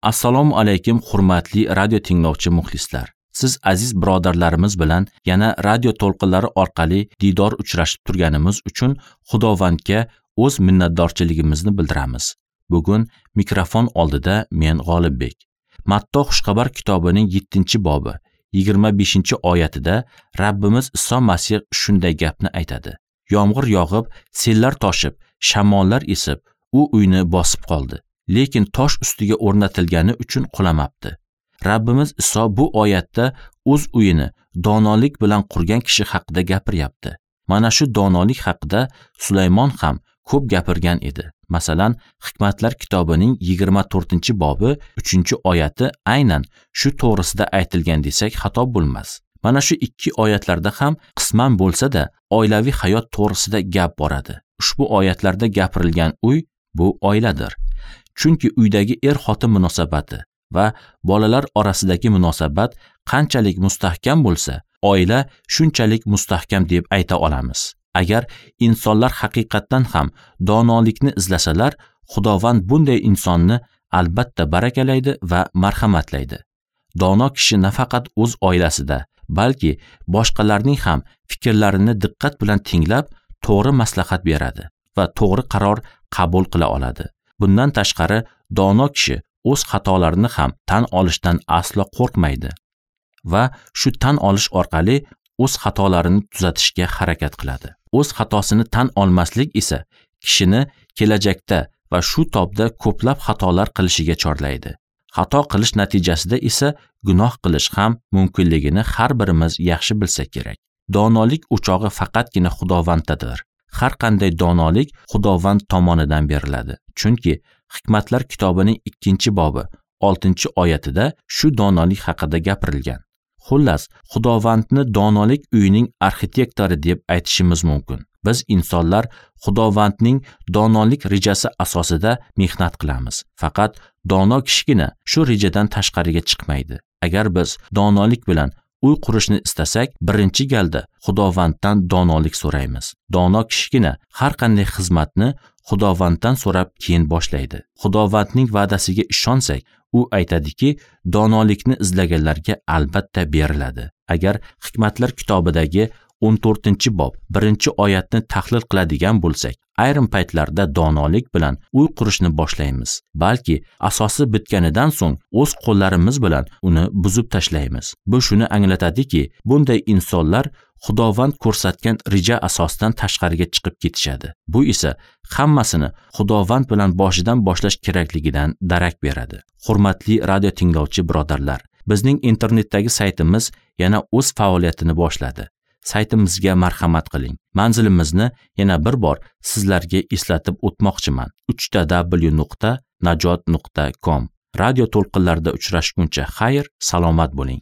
Assalomu alaykum, hurmatli radio tinglovchi muxlislar. Siz aziz birodarlarimiz bilan yana radio to'lqinlari orqali diydor uchrashib turganimiz uchun Xudovandga o'z minnatdorchiligimizni bildiramiz. Bugun mikrofon oldida men G'olibbek. Matto xushxabar kitobining 7-bobi 25-oyatida Rabbimiz Iso Masih shunday gapni aytadi. Yomg'ir yog'ib, sellar toshib, shamollar esib, u uyni bosib qoldi. Lekin tosh ustiga o'rnatilgani uchun qulamabdi. Rabbimiz Iso bu oyatda o'z uyini donolik bilan qurgan kishi haqida gapiryapti. Mana shu donolik haqida Sulaymon ham ko'p gapirgan edi. Masalan, Hikmatlar kitobining 24-bobi 3-oyati aynan shu to'g'risida aytilgan desak xato bo'lmas. Mana shu ikki oyatlarda ham qisman bo'lsa-da oilaviy hayot to'g'risida gap boradi. Ushbu oyatlarda gapirilgan uy bu oiladir. Chunki uydagi er-xotin munosabati va bolalar orasidagi munosabat qanchalik mustahkam bo'lsa, oila shunchalik mustahkam deb ayta olamiz. Agar insonlar haqiqatdan ham donolikni izlasalar, Xudovand bunday insonni albatta barakalaydi va marhamatlaydi. Dono kishi nafaqat o'z oilasida, balki boshqalarning ham fikrlarini diqqat bilan tinglab, to'g'ri maslahat beradi va to'g'ri qaror qabul qila oladi. Bundan tashqari, dono kishi o'z xatolarini ham tan olishdan aslo qo'rqmaydi va shu tan olish orqali o'z xatolarini tuzatishga harakat qiladi. O'z xatosini tan olmaslik esa kishini kelajakda va shu tobda ko'plab xatolar qilishiga chorlaydi. Xato qilish natijasida esa gunoh qilish ham mumkinligini har birimiz yaxshi bilsak kerak. Donolik o'chog'i faqatgina Xudovanddadir. Har qanday donolik Xudovand tomonidan beriladi. Chunki Hikmatlar kitobining 2-bobi 6-oyatida shu donolik haqida gapirilgan. Xullas, Xudovandni donolik uyining arxitektori deb aytishimiz mumkin. Biz insonlar Xudovandning donolik rejasi asosida mehnat qilamiz. Faqat dono kishigina shu rejadan tashqariga chiqmaydi. Agar biz donolik bilan uy qurishni istasak, birinchi galda Xudovanddan donolik so'raymiz. Dono kishigina har qanday xizmatni Xudovanddan so'rab keyin boshlaydi. Xudovandning va'dasiga ishonsak, u aytadiki, donolikni izlaganlarga albatta beriladi. Agar Hikmatlar kitobidagi 14-bob 1-oyatni tahlil qiladigan bo'lsak, ayrim paytlarda donolik bilan uy qurishni boshlaymiz. Balki asosi bitganidan so'ng o'z qo'llarimiz bilan uni buzib tashlaymiz. Bu shuni anglatadiki, bunday insonlar Xudovand ko'rsatgan reja asosidan tashqariga chiqib ketishadi. Bu esa hammasini Xudovand bilan boshidan boshlash kerakligidan darak beradi. Hurmatli radio tinglovchi birodarlar, bizning internetdagi saytimiz yana o'z faoliyatini boshladi. Saytimizga marhamat qiling. Manzilimizni yana bir bor sizlarga eslatib o'tmoqchiman. www.najot.com. Radio to'lqinlarida uchrashguncha xayr, salomat bo'ling.